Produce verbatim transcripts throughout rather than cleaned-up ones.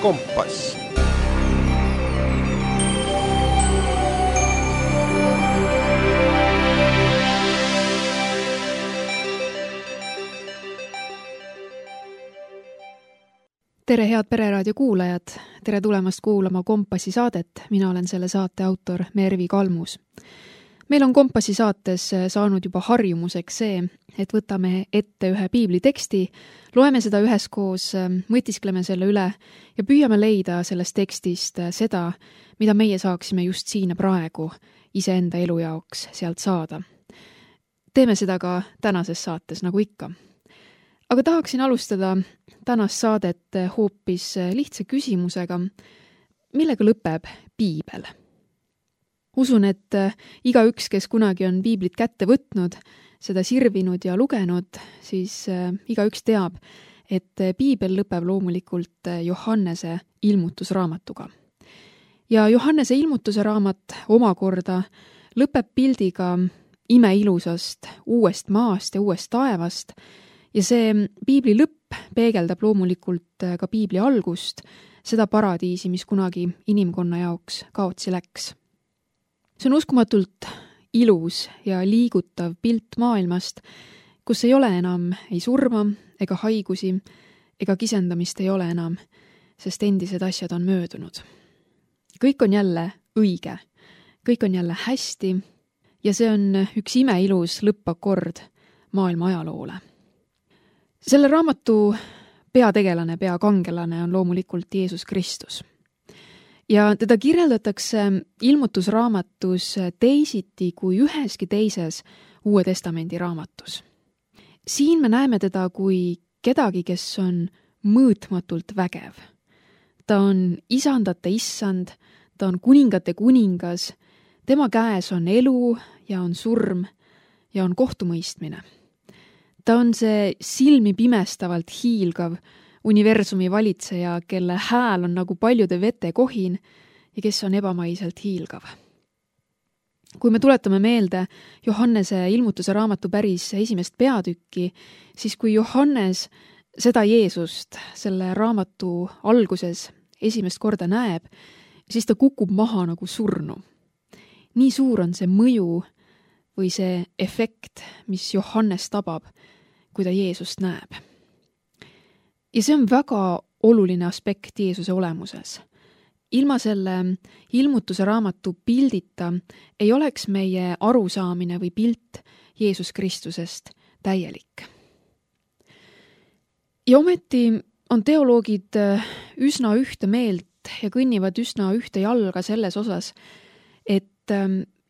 Kompass. Tere, head Pereraadio kuulajad! Tere tulemast kuulama Kompassi saadet. Mina olen selle saate autor Mervi Kalmus. Meil on Kompassi saates saanud juba harjumuseks see, et võtame ette ühe piibliteksti, loeme seda üheskoos, mõtiskleme selle üle ja püüame leida sellest tekstist seda, mida meie saaksime just siin ja praegu iseenda elu jaoks sealt saada. Teeme seda ka tänases saates nagu ikka. Aga tahaksin alustada tänast saadet hoopis lihtsa küsimusega, millega lõpeb piibel. Usun, et igaüks, kes kunagi on piiblit kätte võtnud, seda sirvinud ja lugenud, siis igaüks teab, et piibel lõpeb loomulikult Johannese ilmutusraamatuga. Ja Johannese ilmutuse raamat omakorda lõpeb pildiga imeilusast uuest maast ja uuest taevast, ja see piibli lõpp peegeldab loomulikult ka piibli algust, seda paradiisi, mis kunagi inimkonna jaoks kaotsi läks. See on uskumatult ilus ja liigutav pilt maailmast, kus ei ole enam ei surma ega haigusi ega kisendamist ei ole enam, sest endised asjad on möödunud. Kõik on jälle õige, kõik on jälle hästi ja see on üks imeilus lõppakord maailma ajaloole. Selle raamatu peategelane, peakangelane on loomulikult Jeesus Kristus. Ja teda kirjeldatakse ilmutusraamatus teisiti kui üheski teises Uue Testamendi raamatus. Siin me näeme teda kui kedagi, kes on mõõtmatult vägev. Ta on isandate issand, ta on kuningate kuningas, tema käes on elu ja on surm ja on kohtumõistmine. Ta on see silmi pimestavalt hiilgav universumi valitseja, kelle hääl on nagu paljude vete kohin ja kes on ebamaiselt hiilgav. Kui me tuletame meelde Johannese ilmutuse raamatu päris esimest peatükki, siis kui Johannes seda Jeesust selle raamatu alguses esimest korda näeb, siis ta kukub maha nagu surnu. Nii suur on see mõju või see efekt, mis Johannes tabab, kui ta Jeesust näeb. Ja see on väga oluline aspekt Jeesuse olemuses. Ilma selle ilmutuse raamatu pildita ei oleks meie arusaamine või pilt Jeesus Kristusest täielik. Ja ometi on teoloogid üsna ühte meelt ja kõnnivad üsna ühte jalga selles osas, et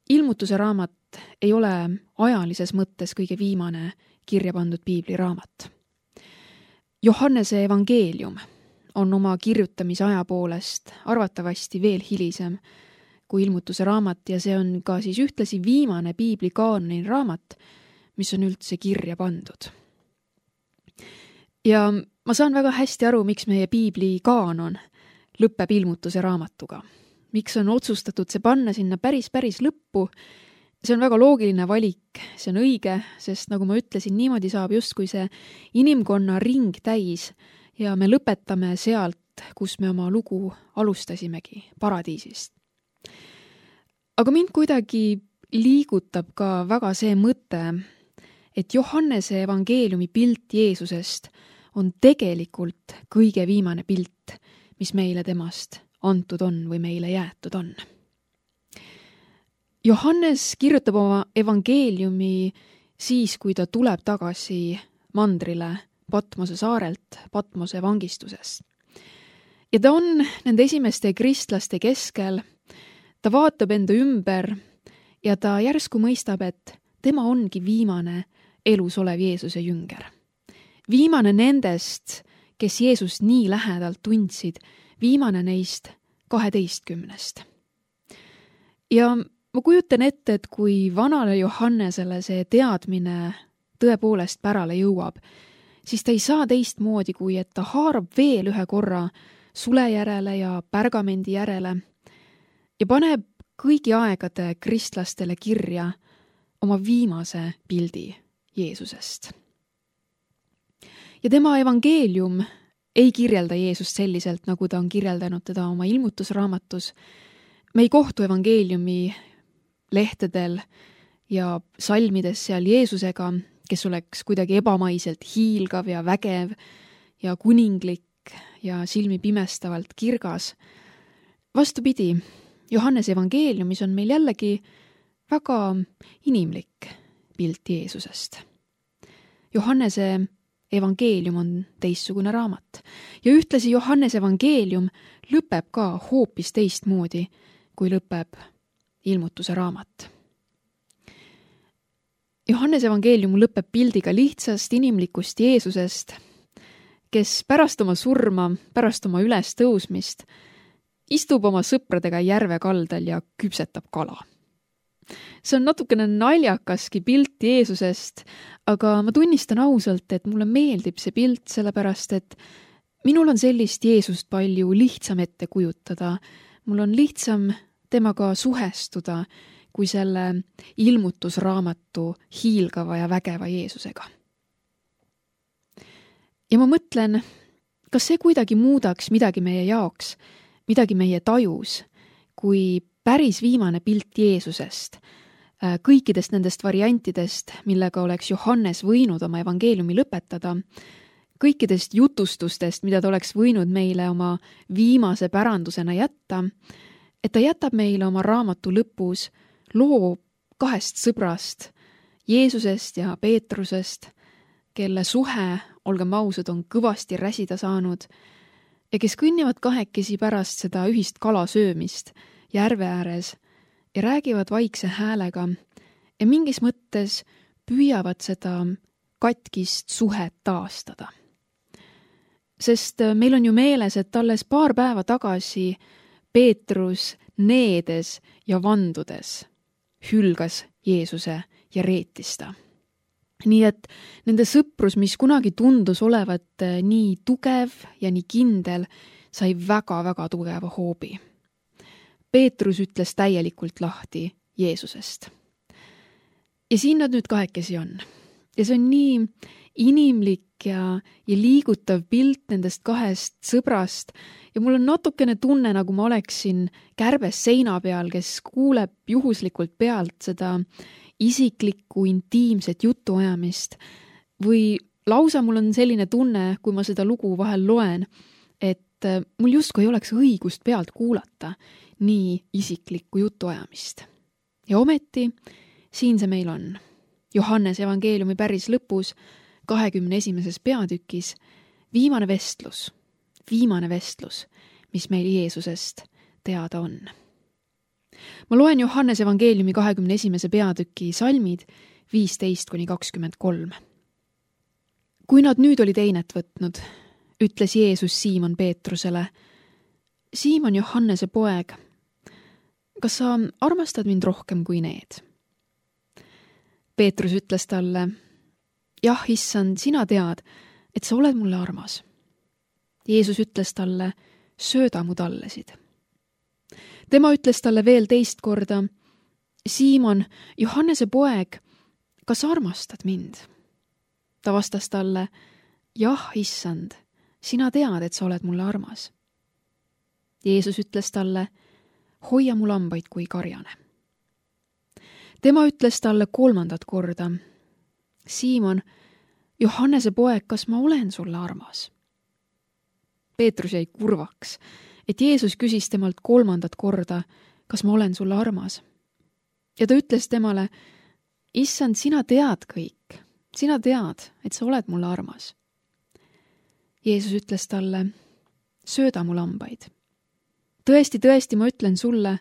ilmutuse raamat ei ole ajalises mõttes kõige viimane kirja pandud piibliraamat. Johannese evangeelium on oma kirjutamise aja poolest arvatavasti veel hilisem kui ilmutuse raamat ja see on ka siis ühtlasi viimane piibli kaanoni raamat, mis on üldse kirja pandud. Ja ma saan väga hästi aru, miks meie piibli kaanon lõpeb ilmutuse raamatuga. Miks on otsustatud see panna sinna päris päris lõppu. See on väga loogiline valik, see on õige, sest nagu ma ütlesin, niimoodi saab justkui see inimkonna ring täis ja me lõpetame sealt, kus me oma lugu alustasimegi, paradiisist. Aga mind kuidagi liigutab ka väga see mõte, et Johannese evangeeliumi pilt Jeesusest on tegelikult kõige viimane pilt, mis meile temast antud on või meile jäetud on. Johannes kirjutab oma evangeeliumi siis, kui ta tuleb tagasi mandrile Patmose saarelt, Patmose vangistusest. Ja ta on nende esimeste kristlaste keskel, ta vaatab enda ümber ja ta järsku mõistab, et tema ongi viimane elus olev Jeesuse jünger. Viimane nendest, kes Jeesust nii lähedalt tundsid, viimane neist kaheteistkümnest. Ja ma kujutan ette, et kui vanale Johannesele see teadmine tõepoolest pärale jõuab, siis ta ei saa teistmoodi, kui et ta haarab veel ühe korra sule järele ja pärgamendi järele ja paneb kõigi aegade kristlastele kirja oma viimase pildi Jeesusest. Ja tema evangeelium ei kirjelda Jeesust selliselt, nagu ta on kirjeldanud teda oma ilmutusraamatus. Me ei kohtu evangeeliumi lehtedel ja salmides seal Jeesusega, kes oleks kuidagi ebamaiselt hiilgav ja vägev ja kuninglik ja silmi pimestavalt kirgas. Vastupidi, Johannese evangeeliumis on meil jällegi väga inimlik pilt Jeesusest. Johannese evangeelium on teistsugune raamat ja ühtlasi Johannese evangeelium lõpeb ka hoopis teistmoodi, kui lõpeb ilmutuse raamat. Johannese evangeelium lõpeb pildiga lihtsast inimlikust Jeesusest, kes pärast oma surma, pärast oma ülestõusmist istub oma sõpradega järve kaldal ja küpsetab kala. See on natukene naljakaski pilt Jeesusest, aga ma tunnistan ausalt, et mulle meeldib see pilt sellepärast, et minul on sellist Jeesust palju lihtsam ette kujutada. Mul on lihtsam temaga suhestuda kui selle ilmutusraamatu hiilgava ja vägeva Jeesusega. Ja ma mõtlen, kas see kuidagi muudaks midagi meie jaoks, midagi meie tajus, kui päris viimane pilt Jeesusest, kõikidest nendest variantidest, millega oleks Johannes võinud oma evangeeliumi lõpetada, kõikidest jutustustest, mida ta oleks võinud meile oma viimase pärandusena jätta, et ta jätab meile oma raamatu lõpus loo kahest sõbrast, Jeesusest ja Peetrusest, kelle suhe, olgem ausad, on kõvasti räsida saanud ja kes kõnnivad kahekesi pärast seda ühist kalasöömist järve ääres ja räägivad vaikse häälega ja mingis mõttes püüavad seda katkist suhet taastada. Sest meil on ju meeles, et alles paar päeva tagasi Peetrus needes ja vandudes hülgas Jeesuse ja reetis ta. Nii et nende sõprus, mis kunagi tundus olevat nii tugev ja nii kindel, sai väga-väga tugeva hoobi. Peetrus ütles täielikult lahti Jeesusest. Ja siin nad nüüd kahekesi on. Ja see on nii inimlik ja, ja liigutav pilt nendest kahest sõbrast ja mul on natukene tunne, nagu ma oleksin kärbes seina peal, kes kuuleb juhuslikult pealt seda isiklikku, intiimset jutuajamist või lausa mul on selline tunne, kui ma seda lugu vahel loen, et mul justkui ei oleks õigust pealt kuulata nii isiklikku jutuajamist. Ja ometi siin see meil on. Johannese evangeeliumi päris lõpus, kahekümne esimeses peatükis, viimane vestlus, viimane vestlus, mis meil Jeesusest teada on. Ma loen Johannese evangeeliumi kahekümne esimese peatüki salmid viisteist kuni kakskümmend kolm. Kui nad nüüd olid einet võtnud, ütles Jeesus Siimon Peetrusele, Siimon Johannese poeg, kas sa armastad mind rohkem kui need? Peetrus ütles talle, jah, issand, sina tead, et sa oled mulle armas. Jeesus ütles talle, sööda mu tallesid. Tema ütles talle veel teist korda, Siimon, Johannese poeg, kas armastad mind? Ta vastas talle, jah, issand, sina tead, et sa oled mulle armas. Jeesus ütles talle, hoia mu lambaid kui karjane. Tema ütles talle kolmandat korda, Siimon, Johannese poeg, kas ma olen sulle armas? Peetrus jäi kurvaks, et Jeesus küsis temalt kolmandat korda, kas ma olen sulle armas. Ja ta ütles temale, issand, sina tead kõik, sina tead, et sa oled mulle armas. Jeesus ütles talle, sööda mu lambaid. Tõesti, tõesti, ma ütlen sulle,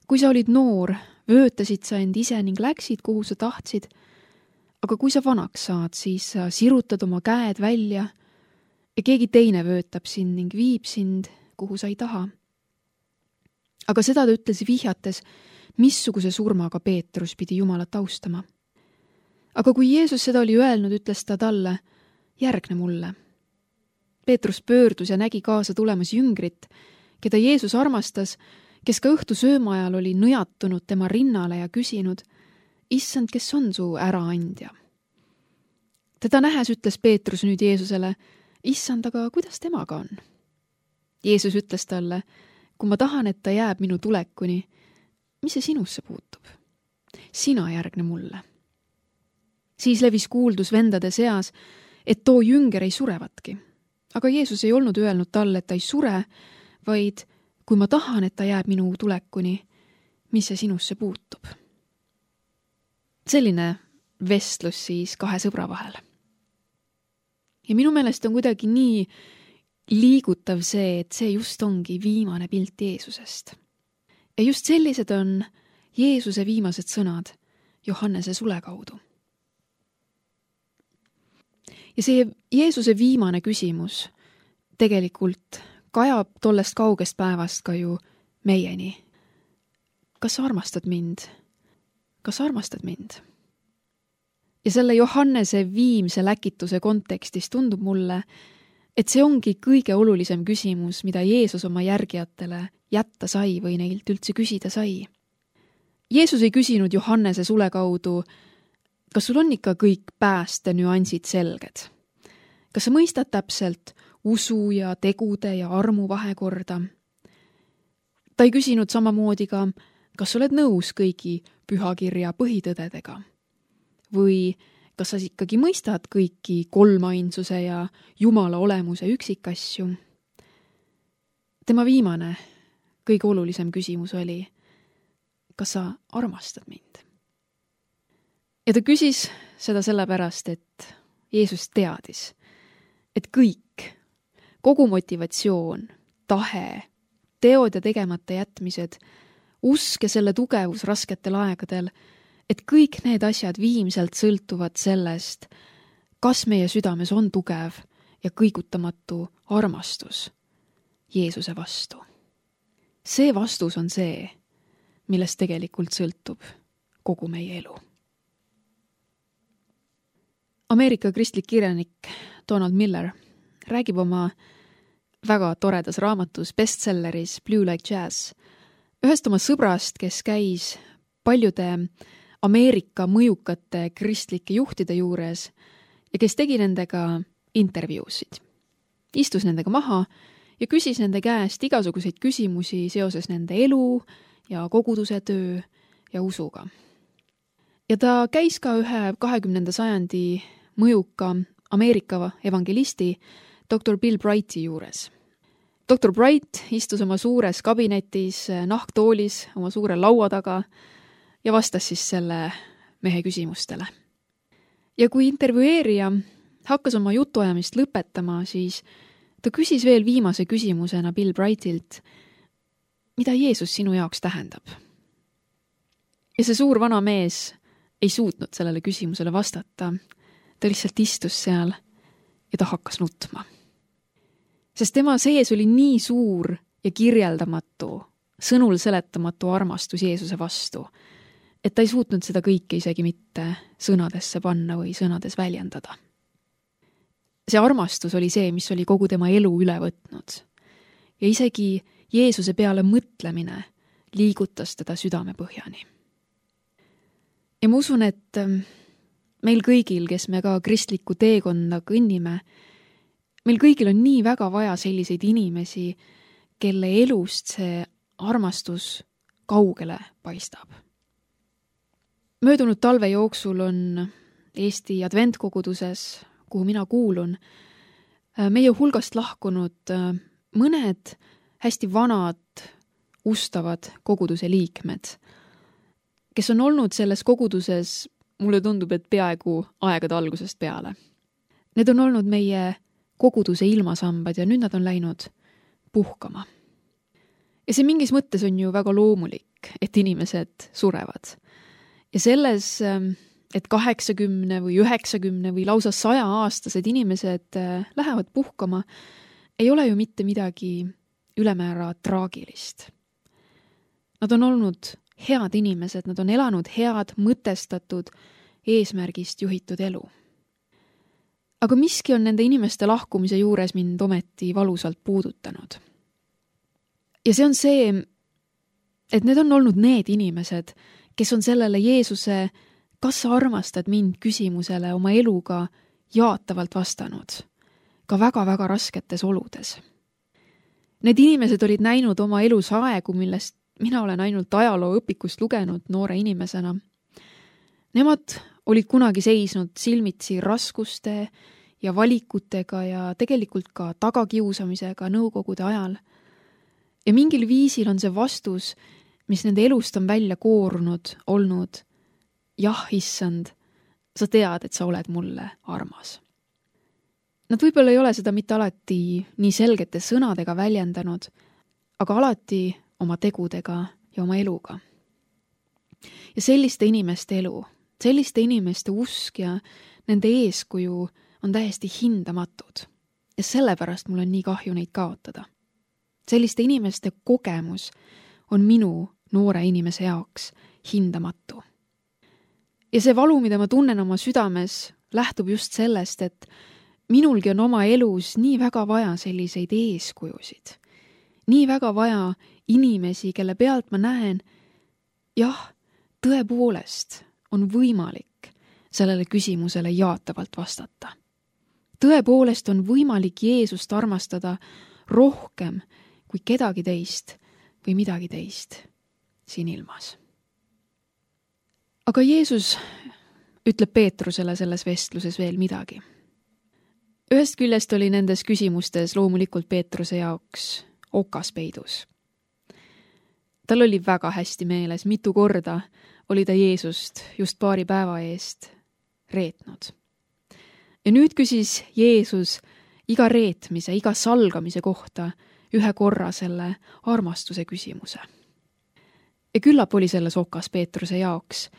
kui sa olid noor, vöötasid sa end ise ning läksid, kuhu sa tahtsid, aga kui sa vanaks saad, siis sa sirutad oma käed välja ja keegi teine vöötab sind ning viib sind, kuhu sa ei taha. Aga seda ta ütles vihjates, missuguse surmaga Peetrus pidi Jumalat austama. Aga kui Jeesus seda oli öelnud, ütles ta talle, järgne mulle. Peetrus pöördus ja nägi kaasa tulemas jüngrit, keda Jeesus armastas, kes ka õhtu sööma ajal oli nõjatunud tema rinnale ja küsinud, issand, kes on su äraandja? Teda nähes ütles Peetrus nüüd Jeesusele, issand, aga kuidas temaga on? Jeesus ütles talle, kui ma tahan, et ta jääb minu tulekuni, mis see sinusse puutub? Sina järgne mulle. Siis levis kuuldus vendade seas, et too jünger ei surevatki. Aga Jeesus ei olnud öelnud talle, et ta ei sure, vaid kui ma tahan, et ta jääb minu tulekuni, mis see sinusse puutub? Selline vestlus siis kahe sõbra vahel. Ja minu meelest on kuidagi nii liigutav see, et see just ongi viimane pilt Jeesusest. Ja just sellised on Jeesuse viimased sõnad Johannese sule kaudu. Ja see Jeesuse viimane küsimus tegelikult kajab tollest kaugest päevast ka ju meieni. Kas sa armastad mind? Kas sa armastad mind? Ja selle Johannese viimse läkituse kontekstis tundub mulle, et see ongi kõige olulisem küsimus, mida Jeesus oma järgijatele jätta sai või neilt üldse küsida sai. Jeesus ei küsinud Johannese sule kaudu, kas sul on ikka kõik pääste nüansid selged? Kas sa mõistad täpselt usu ja tegude ja armu vahekorda? Ta ei küsinud samamoodi ka, kas sa oled nõus kõigi pühakirja põhitõdedega? Või kas sa ikkagi mõistad kõiki kolmainsuse ja Jumala olemuse üksikasju? Tema viimane, kõige olulisem küsimus oli, kas sa armastad mind? Ja ta küsis seda sellepärast, et Jeesus teadis, et kõik, kogu motivatsioon, tahe, teod ja tegemata jätmised, usk ja selle tugevus rasketel aegadel, et kõik need asjad viimselt sõltuvad sellest, kas meie südames on tugev ja kõigutamatu armastus Jeesuse vastu. See vastus on see, millest tegelikult sõltub kogu meie elu. Ameerika kristlik kirjanik Donald Miller räägib oma väga toredas raamatus bestselleris Blue Like Jazz ühest oma sõbrast, kes käis paljude Ameerika mõjukate kristlike juhtide juures ja kes tegi nendega intervjuusid. Istus nendega maha ja küsis nende käest igasuguseid küsimusi seoses nende elu ja koguduse töö ja usuga. Ja ta käis ka ühe kahekümnenda sajandi mõjuka Ameerika evangelisti doktor Bill Brighti juures. doktor Bright istus oma suures kabinetis nahktoolis oma suure laua taga ja vastas siis selle mehe küsimustele. Ja kui intervjueerija hakkas oma jutuajamist lõpetama, siis ta küsis veel viimase küsimusena Bill Brightilt, mida Jeesus sinu jaoks tähendab? Ja see suur vana mees ei suutnud sellele küsimusele vastata. Ta lihtsalt istus seal ja ta hakkas nutma. Sest tema sees oli nii suur ja kirjeldamatu, sõnul seletamatu armastus Jeesuse vastu, et ta ei suutnud seda kõike isegi mitte sõnadesse panna või sõnades väljendada. See armastus oli see, mis oli kogu tema elu üle võtnud. Ja isegi Jeesuse peale mõtlemine liigutas teda südame põhjani. Ja ma usun, et meil kõigil, kes me ka kristlikku teekonda kõnnime, meil kõigil on nii väga vaja selliseid inimesi, kelle elust see armastus kaugele paistab. Möödunud talve jooksul on Eesti adventkoguduses, kuhu mina kuulun, meie hulgast lahkunud mõned hästi vanad, ustavad koguduse liikmed, kes on olnud selles koguduses, mulle tundub, et peaaegu aegade algusest peale. Need on olnud meie koguduse ilmasambad ja nüüd nad on läinud puhkama. Ja see mingis mõttes on ju väga loomulik, et inimesed surevad. Ja selles, et kaheksakümne või üheksakümne või lausa saja aastased inimesed lähevad puhkama, ei ole ju mitte midagi ülemäära traagilist. Nad on olnud head inimesed, nad on elanud head, mõtestatud, eesmärgist juhitud elu. Aga miski on nende inimeste lahkumise juures mind ometi valusalt puudutanud. Ja see on see, et need on olnud need inimesed, kes on sellele Jeesuse kas sa armastad mind küsimusele oma eluga jaatavalt vastanud. ka väga-väga rasketes oludes. Need inimesed olid näinud oma elus aegu, millest mina olen ainult ajalooõpikust lugenud noore inimesena. Nemad olid kunagi seisnud silmitsi raskuste ja valikutega ja tegelikult ka tagakiusamisega nõukogude ajal. Ja mingil viisil on see vastus, mis nende elust on välja koorunud, olnud jah, issand, sa tead, et sa oled mulle armas. Nad võib-olla ei ole seda mitte alati nii selgete sõnadega väljendanud, aga alati oma tegudega ja oma eluga. Ja selliste inimeste elu, selliste inimeste usk ja nende eeskuju on täiesti hindamatud. Ja sellepärast mul on nii kahju neid kaotada. Selliste inimeste kogemus on minu noore inimese jaoks hindamatu. Ja see valu, mida ma tunnen oma südames, lähtub just sellest, et minulgi on oma elus nii väga vaja selliseid eeskujusid. Nii väga vaja inimesi, kelle pealt ma näen, jah, tõepoolest on võimalik sellele küsimusele jaatavalt vastata. Tõepoolest on võimalik Jeesust armastada rohkem kui kedagi teist või midagi teist siin ilmas. Aga Jeesus ütleb Peetrusele selles vestluses veel midagi. Ühest küljest oli nendes küsimustes loomulikult Peetruse jaoks okas peidus. Tal oli väga hästi meeles, mitu korda oli ta Jeesust just paari päeva eest reetnud. Ja nüüd küsis Jeesus iga reetmise, iga salgamise kohta ühe korra selle armastuse küsimuse. Ja küllap oli selles okas Peetruse jaoks,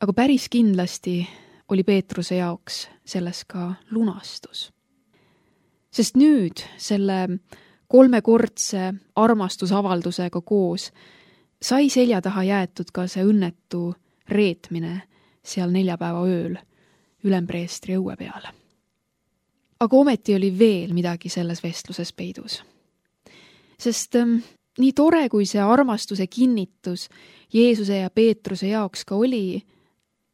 aga päris kindlasti oli Peetruse jaoks selles ka lunastus. Sest nüüd selle kolmekordse armastusavaldusega koos sai selja taha jäetud ka see õnnetu reetmine seal neljapäeva ööl ülempreestri õue peal. Aga ometi oli veel midagi selles vestluses peidus. Sest ähm, nii tore, kui see armastuse kinnitus Jeesuse ja Peetruse jaoks ka oli,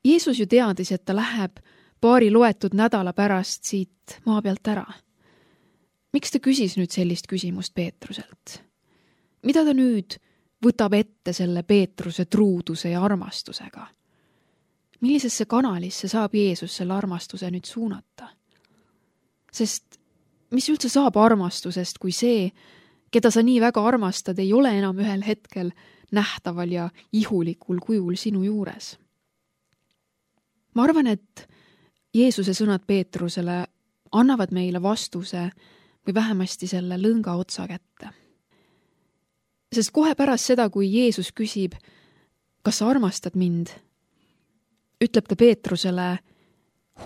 Jeesus ju teadis, et ta läheb paari loetud nädala pärast siit maa pealt ära. Miks ta küsis nüüd sellist küsimust Peetruselt? Mida ta nüüd võtab ette selle Peetruse truuduse ja armastusega? Millisesse kanalisse saab Jeesus selle armastuse nüüd suunata? Sest mis üldse saab armastusest, kui see, keda sa nii väga armastad, ei ole enam ühel hetkel nähtaval ja ihulikul kujul sinu juures? Ma arvan, et Jeesuse sõnad Peetrusele annavad meile vastuse või vähemasti selle lõnga otsa kätte. Sest kohe pärast seda, kui Jeesus küsib, kas sa armastad mind, ütleb ta Peetrusele,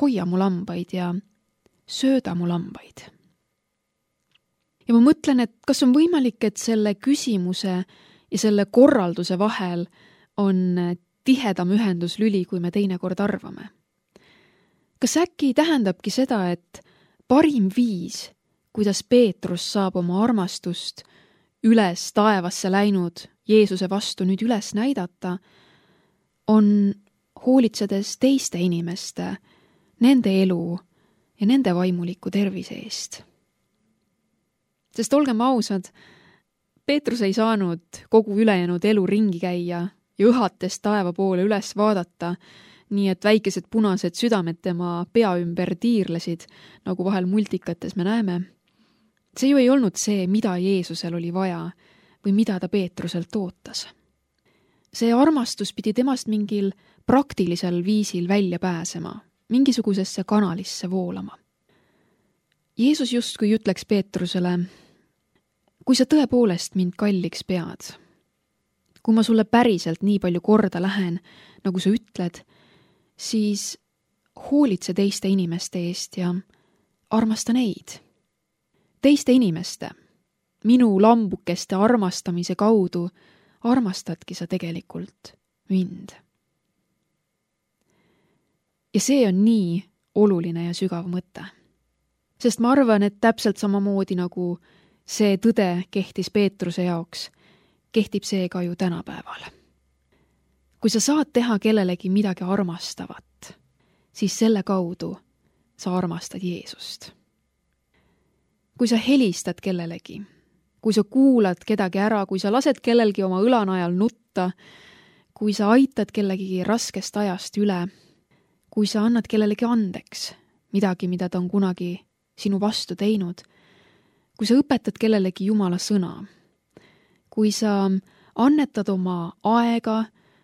hoia mu lambaid ja sööda mu lambaid. Ja ma mõtlen, et kas on võimalik, et selle küsimuse ja selle korralduse vahel on tihedam ühenduslüli, kui me teinekord arvame. Kas äkki tähendabki seda, et parim viis, kuidas Peetrus saab oma armastust üles taevasse läinud Jeesuse vastu nüüd üles näidata, on hoolitsedes teiste inimeste, nende elu ja nende vaimuliku tervise eest. Sest olgem ausad, Peetrus ei saanud kogu ülejäänud elu ringi käia ja õhates taeva poole üles vaadata, nii et väikesed punased südamed tema pea ümber tiirlesid, nagu vahel multikates me näeme. See ju ei olnud see, mida Jeesusel oli vaja või mida ta Peetruselt ootas. See armastus pidi temast mingil praktilisel viisil välja pääsema, mingisugusesse kanalisse voolama. Jeesus justkui ütleks Peetrusele, kui sa tõepoolest mind kalliks pead, kui ma sulle päriselt nii palju korda lähen, nagu sa ütled, siis hoolitse teiste inimeste eest ja armasta neid. Teiste inimeste, minu lambukeste armastamise kaudu armastadki sa tegelikult mind. Ja see on nii oluline ja sügav mõte. Sest ma arvan, et täpselt samamoodi nagu see tõde kehtis Peetruse jaoks, kehtib see ka ju tänapäeval. Kui sa saad teha kellelegi midagi armastavat, siis selle kaudu sa armastad Jeesust. kui sa helistad kellelegi, kui sa kuulad kedagi ära, kui sa lased kellelgi oma õlanajal nutta, kui sa aitad kellegi raskest ajast üle, kui sa annad kellelegi andeks midagi, mida ta on kunagi sinu vastu teinud, kui sa õpetad kellelegi Jumala sõna, kui sa annetad oma aega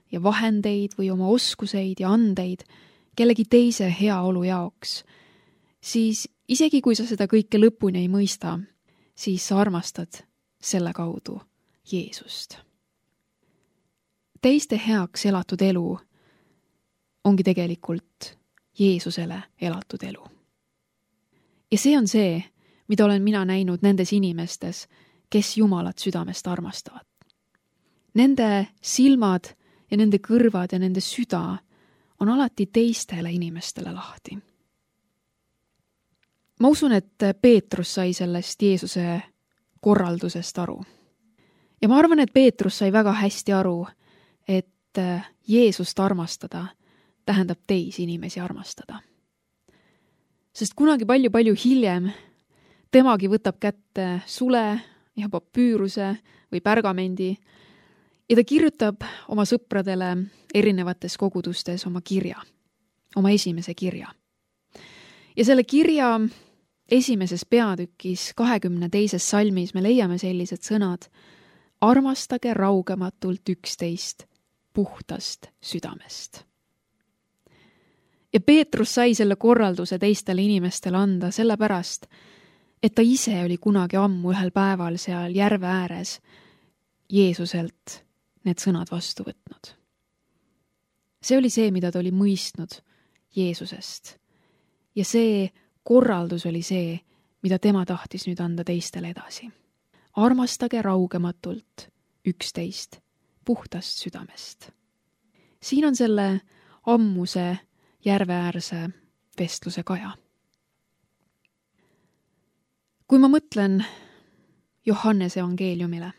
ja vahendeid või oma oskuseid ja andeid kellegi teise heaolu jaoks, siis isegi kui sa seda kõike lõpuni ei mõista, siis sa armastad selle kaudu Jeesust. Teiste heaks elatud elu ongi tegelikult Jeesusele elatud elu. Ja see on see, mida olen mina näinud nendes inimestes, kes Jumalat südamest armastavad. Nende silmad ja nende kõrvad ja nende süda on alati teistele inimestele lahti. Ma usun, et Peetrus sai sellest Jeesuse korraldusest aru. Ja ma arvan, et Peetrus sai väga hästi aru, et Jeesust armastada tähendab teisi inimesi armastada. Sest kunagi palju-palju hiljem temagi võtab kätte sule ja papüüruse või pärgamendi ja ta kirjutab oma sõpradele erinevates kogudustes oma kirja, oma esimese kirja. Ja selle kirja esimeses peatükis kahekümne teises salmis me leiame sellised sõnad: armastage raugematult üksteist puhtast südamest. Ja Peetrus sai selle korralduse teistele inimestele anda sellepärast, et ta ise oli kunagi ammu ühel päeval seal järve ääres Jeesuselt need sõnad vastu võtnud. See oli see, mida ta oli mõistnud Jeesusest. Ja see korraldus oli see, mida tema tahtis nüüd anda teistele edasi. Armastage raugematult üksteist puhtast südamest. Siin on selle ammuse järveäärse vestluse kaja. Kui ma mõtlen Johannese evangeeliumile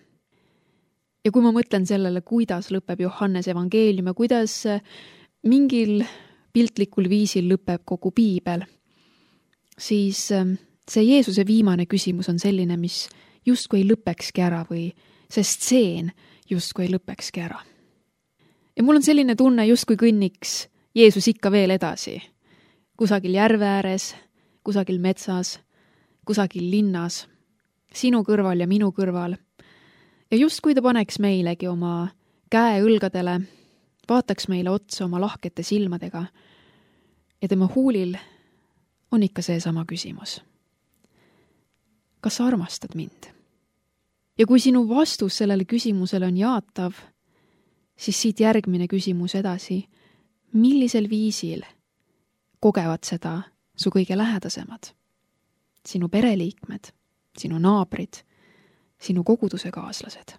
ja kui ma mõtlen sellele, kuidas lõpeb Johannese evangeelium ja kuidas mingil piltlikul viisil lõpeb kogu piibel, siis see Jeesuse viimane küsimus on selline, mis justkui ei lõpekski ära või see stseen justkui ei lõpekski ära. Ja mul on selline tunne, justkui kõnniks Jeesus ikka veel edasi, kusagil järve ääres, kusagil metsas, kusagil linnas, sinu kõrval ja minu kõrval. Ja justkui ta paneks meilegi oma käe õlgadele, vaataks meile otsa oma lahkete silmadega ja tema huulil on ikka see sama küsimus. Kas sa armastad mind? Ja kui sinu vastus sellele küsimusele on jaatav, siis siit järgmine küsimus edasi: millisel viisil kogevad seda su kõige lähedasemad? Sinu pereliikmed, sinu naabrid, sinu koguduse kaaslased.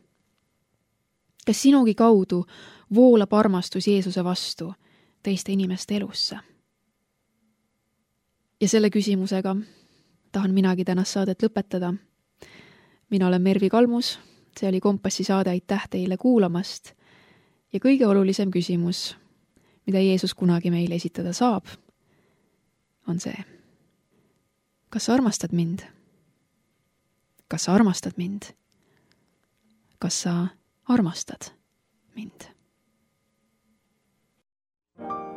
Kas sinugi kaudu voolab armastus Jeesuse vastu teiste inimeste elusse? Ja selle küsimusega tahan minagi tänast saadet lõpetada. Mina olen Mervi Kalmus, see oli Kompassi saade, aitäh teile kuulamast. Ja kõige olulisem küsimus, mida Jeesus kunagi meile esitada saab, on see: kas sa armastad mind? Kas sa armastad mind? Kas sa armastad mind? Trouble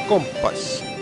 Kompass.